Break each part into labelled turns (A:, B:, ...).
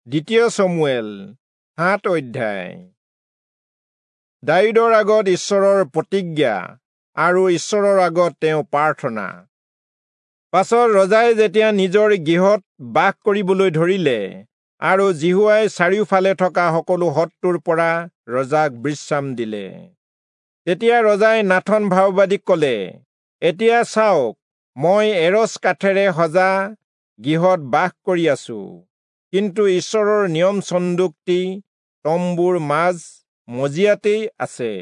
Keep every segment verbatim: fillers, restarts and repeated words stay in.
A: দ্বিতীয় চমুৱেল সাত অধ্যায়। দায়ূদৰ আগত ঈশ্বৰৰ প্ৰতিজ্ঞা আৰু ঈশ্বৰৰ আগত তেওঁ প্ৰাৰ্থনা। পাছত ৰজাই যেতিয়া নিজৰ গৃহত বাস কৰিবলৈ ধৰিলে আৰু যিহোৱাই চাৰিওফালে থকা সকলো শত্ৰুৰ পৰা ৰজাক বিশ্ৰাম দিলে, তেতিয়া ৰজাই নাথন ভাববাদীক কলে, এতিয়া চাওক, মই এৰচ কাঠেৰে সজা গৃহত বাস কৰি আছো, কিন্তু ঈশ্বৰৰ নিয়ম চন্দুকটি তম্বুৰ মাজ মজিয়াতেই আছে।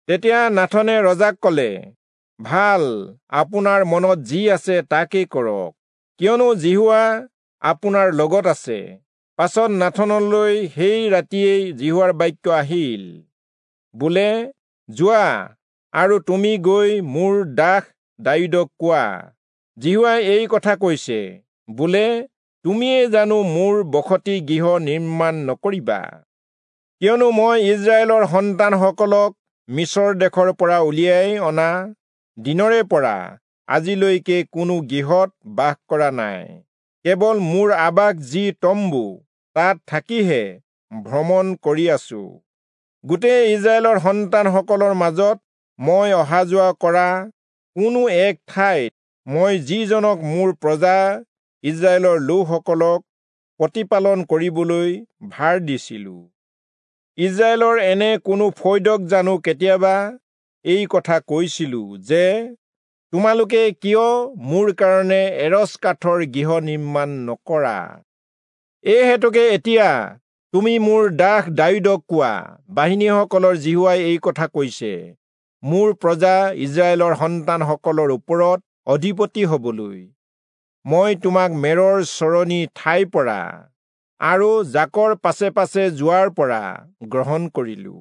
A: তেতিয়া নাথনে ৰজাক কলে, ভাল, আপোনাৰ মনত যি আছে তাকেই কৰক, কিয়নো যিহোৱা আপোনাৰ লগত আছে। পাছত নাথনলৈ সেই ৰাতিয়েই যিহোৱাৰ বাক্য আহিল, বোলে, যোৱা আৰু তুমি গৈ মোৰ দাস দায়ূদক কোৱা, যিহোৱাই এই কথা কৈছে, বোলে, তুমিয়ে জানো মোৰ বসতি গৃহ নিৰ্মাণ নকৰিবা? কিয়নো মই ইস্ৰায়েলৰ সন্তানসকলক মিচৰ দেশৰ পৰা উলিয়াই অনা দিনৰে পৰা আজিলৈকে কোনো গৃহত বাস কৰা নাই, কেৱল মোৰ আৱাস যি তম্বু তাত থাকিহে ভ্ৰমণ কৰি আছো। গোটেই ইস্ৰায়েলৰ সন্তানসকলৰ মাজত মই অহা যোৱা কৰা কোনো এক ঠাইত মই যিজনক মোৰ প্ৰজা ইস্ৰায়েলৰ লোকসকলক প্ৰতিপালন কৰিবলৈ ভাৰ দিছিলো, ইস্ৰায়েলৰ এনে কোনো ফৈদক জানো কেতিয়াবা এই কথা কৈছিলো যে, তোমালোকে কিয় মোৰ কাৰণে এৰচ কাঠৰ গৃহ নিৰ্মাণ নকৰা? এই হেতুকে এতিয়া তুমি মোৰ দাস দায়ূদক কোৱা, বাহিনীসকলৰ যিহোৱাই এই কথা কৈছে, মোৰ প্ৰজা ইস্ৰায়েলৰ সন্তানসকলৰ ওপৰত অধিপতি হবলৈ মই তোমাক মেৰৰ চৰণি ঠাইৰ পৰা আৰু জাকৰ পাছে পাছে যোৱাৰ পৰা গ্ৰহণ কৰিলো,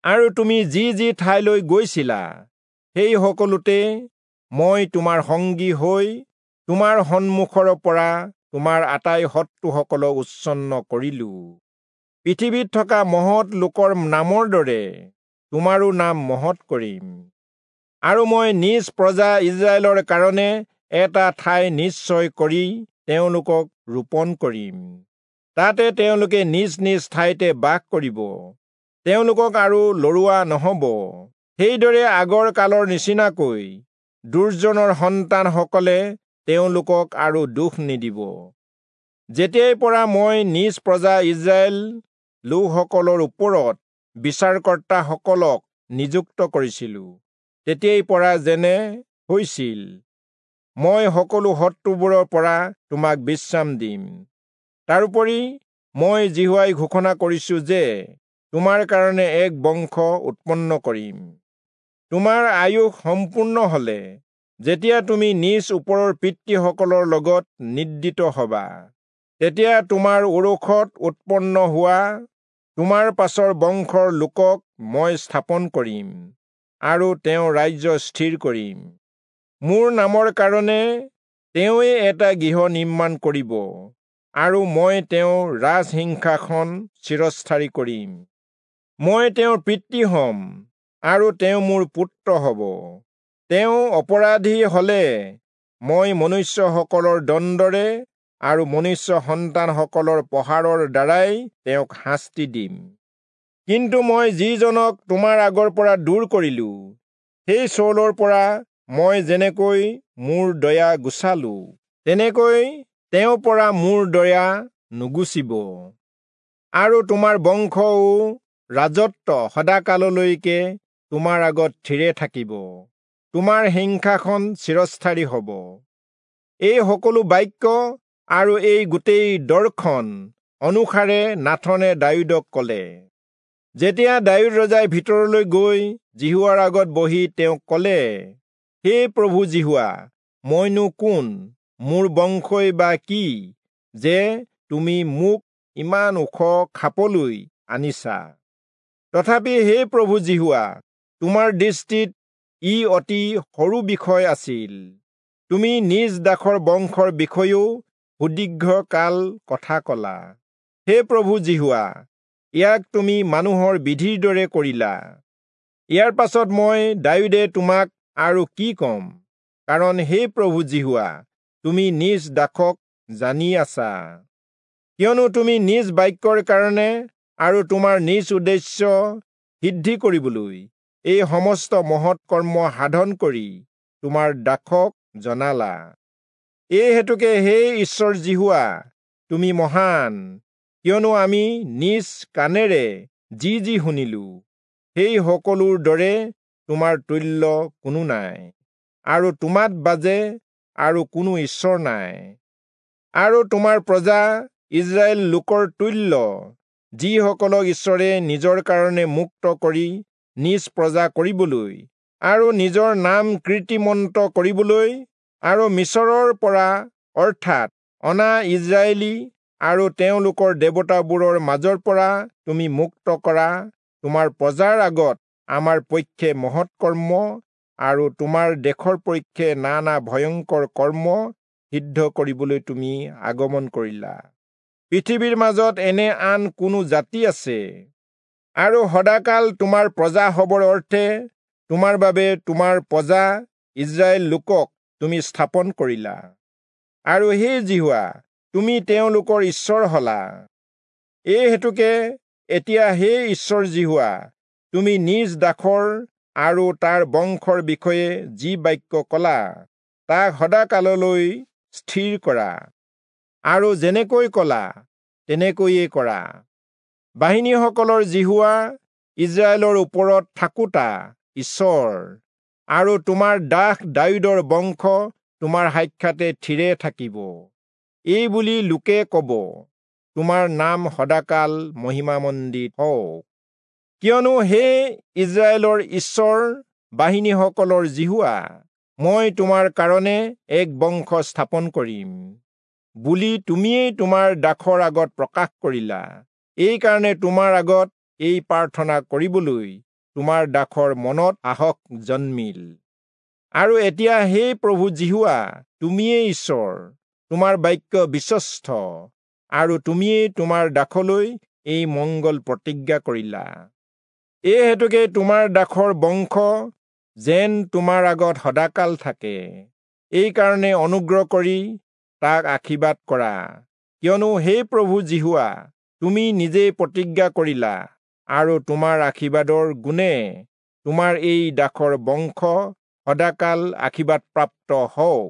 A: আৰু তুমি যি যি ঠাইলৈ গৈছিলা সেই সকলোতে মই তোমাৰ সংগী হৈ তোমাৰ সন্মুখৰ পৰা তোমাৰ আটাই শত্ৰুসকলক উচ্ছন্ন কৰিলো। পৃথিৱীত থকা মহৎ লোকৰ নামৰ দৰে তোমাৰো নাম মহৎ কৰিম, আৰু মই নিজ প্ৰজা ইস্ৰায়েলৰ কাৰণে এটা ঠাই নিশ্চয় কৰি তেওঁলোকক ৰোপণ কৰিম, তাতে তেওঁলোকে নিজ নিজ ঠাইতে বাস কৰিব, তেওঁলোকক আৰু লৰোৱা নহব। সেইদৰে আগৰ কালৰ নিচিনাকৈ দুৰ্জনৰ সন্তানসকলে তেওঁলোকক আৰু দুখ নিদিব। যেতিয়াৰ পৰা মই নিজ প্ৰজা ইস্ৰায়েল লোকসকলৰ ওপৰত বিচাৰকৰ্তাসকলক নিযুক্ত কৰিছিলো, তেতিয়াৰ পৰা যেনে হৈছিল, মই সকলো শত্ৰুবোৰৰ পৰা তোমাক বিশ্ৰাম দিম। তাৰোপৰি মই যিহোৱাই ঘোষণা কৰিছো যে তোমাৰ কাৰণে এক বংশ উৎপন্ন কৰিম। তোমাৰ আয়ুস সম্পূৰ্ণ হলে যেতিয়া তুমি নিজ ওপৰৰ পিতৃসকলৰ লগত নিদ্ৰিত হবা, তেতিয়া তোমাৰ ঔৰসত উৎপন্ন হোৱা তোমাৰ পাছৰ বংশৰ লোকক মই স্থাপন কৰিম আৰু তেওঁৰ ৰাজ্য স্থিৰ কৰিম। মোৰ নামৰ কাৰণে তেওঁৱে এটা গৃহ নিৰ্মাণ কৰিব, আৰু মই তেওঁৰ ৰাজসিংহাসন চিৰস্থায়ী কৰিম। মই তেওঁৰ পিতৃ হম আৰু তেওঁ মোৰ পুত্ৰ হব। তেওঁ অপৰাধী হলে মই মনুষ্যসকলৰ দণ্ডৰে আৰু মনুষ্য সন্তানসকলৰ প্ৰহাৰৰ দ্বাৰাই তেওঁক শাস্তি দিম। কিন্তু মই যিজনক তোমাৰ আগৰ পৰা দূৰ কৰিলো, সেই চৌলৰ পৰা মই যেনেকৈ মোৰ দয়া গুচালো, তেনেকৈ তেওঁৰ পৰা মোৰ দয়া নুগুচিব, আৰু তোমাৰ বংশও ৰাজত্ব সদাকাললৈকে তোমাৰ আগত থিৰে থাকিব, তোমাৰ সিংহাসন চিৰস্থায়ী হব। এই সকলো বাক্য আৰু এই গোটেই দৰ্শন অনুসাৰে নাথনে দায়ূদক কলে। যেতিয়া দায়ূদ ৰজাই ভিতৰলৈ গৈ যিহোৱাৰ আগত বহি তেওঁক কলে, হে প্ৰভু যিহোৱা, মইনো কোন, মোৰ বংশই বা কি, যে তুমি মোক ইমান ওখ খাপলৈ আনিছা? তথাপি হে প্ৰভু যিহোৱা, তোমাৰ দৃষ্টিত ই অতি সৰু বিষয় আছিল। তুমি নিজ দাসৰ বংশৰ বিষয়েও সুদীৰ্ঘ কাল কথা কলা। হে প্ৰভু যিহোৱা, ইয়াক তুমি মানুহৰ বিধিৰ দৰে কৰিলা। ইয়াৰ পাছত মই দায়ূদে তোমাক আৰু কি কম? কাৰণ হে প্ৰভু যিহোৱা, তুমি নিজ দাসক জানি আছা। কিয়নো তুমি নিজ বাক্যৰ কাৰণে আৰু তোমাৰ নিজ উদ্দেশ্য সিদ্ধি কৰিবলৈ এই সমস্ত মহৎ কৰ্ম সাধন কৰি তোমাৰ দাসক জনালা। এই হেতুকে হে ঈশ্বৰ যিহোৱা, তুমি মহান, কিয়নো আমি নিজ কাণেৰে যি যি শুনিলো সেই সকলোৰ দৰে তোমাৰ তুল্য কোনো নাই, আৰু তোমাত বাজে আৰু কোনো ঈশ্বৰ নাই। আৰু তোমাৰ প্ৰজা ইস্ৰায়েল লোকৰ তুল্য, যিসকলক ঈশ্বৰে নিজৰ কাৰণে মুক্ত কৰি নিজ প্ৰজা কৰিবলৈ আৰু নিজৰ নাম কীৰ্তিমন্ত কৰিবলৈ আৰু মিচৰৰ পৰা অৰ্থাৎ অনা ইস্ৰায়েলী আৰু তেওঁলোকৰ দেৱতাবোৰৰ মাজৰ পৰা তুমি মুক্ত কৰা তোমাৰ প্ৰজাৰ আগত আমাৰ পক্ষে মহৎ কৰ্ম আৰু তোমাৰ দেশৰ পক্ষে নানা ভয়ংকৰ কৰ্ম সিদ্ধ কৰিবলৈ তুমি আগমন কৰিলা। পৃথিৱীৰ মাজত এনে আন কোনো জাতি আছে? আৰু সদাকাল তোমাৰ প্ৰজা হবৰ অৰ্থে তোমাৰ বাবে তোমাৰ প্ৰজা ইস্ৰায়েল লোকক তুমি স্থাপন কৰিলা। আৰু হে যিহোৱা, তুমি তেওঁলোকৰ ঈশ্বৰ হলা। এই হেতুকে এতিয়া হে ঈশ্বৰ যিহোৱা, তুমি নিজ দাসৰ আৰু তাৰ বংশৰ বিষয়ে যি বাক্য কলা তাক সদাকাললৈ স্থিৰ কৰা, আৰু যেনেকৈ কলা তেনেকৈয়ে কৰা। বাহিনীসকলৰ যিহোৱা ইস্ৰায়েলৰ ওপৰত থাকোঁতা ঈশ্বৰ, আৰু তোমাৰ দাস দায়ূদৰ বংশ তোমাৰ সাক্ষাতে থিৰে থাকিব। এই বুলি লোকে কব, তোমাৰ নাম সদাকাল মহিমামণ্ডিত হওক। কিয়নো হে ইস্ৰায়েলৰ ঈশ্বৰ বাহিনীসকলৰ যিহোৱা, মই তোমাৰ কাৰণে এক বংশ স্থাপন কৰিম বুলি তুমিয়েই তোমাৰ দাসৰ আগত প্ৰকাশ কৰিলা। এইকাৰণে তোমাৰ আগত এই প্ৰাৰ্থনা কৰিবলৈ তোমাৰ দাসৰ মনত সাহস জন্মিল। আৰু এতিয়া হে প্ৰভু যিহোৱা, তুমিয়েই ঈশ্বৰ, তোমাৰ বাক্য বিশ্বস্ত, আৰু তুমিয়েই তোমাৰ দাসলৈ এই মংগল প্ৰতিজ্ঞা কৰিলা। এই হেতুকে তোমাৰ দাসৰ বংশ যেন তোমাৰ আগত সদাকাল থাকে, এইকাৰণে অনুগ্ৰহ কৰি তাক আশীৰ্বাদ কৰা। কিয়নো হে প্ৰভু যিহোৱা, তুমি নিজেই প্ৰতিজ্ঞা কৰিলা, আৰু তোমাৰ আশীৰ্বাদৰ গুণে তোমাৰ এই দাসৰ বংশ সদাকাল আশীৰ্বাদপ্ৰাপ্ত হওক।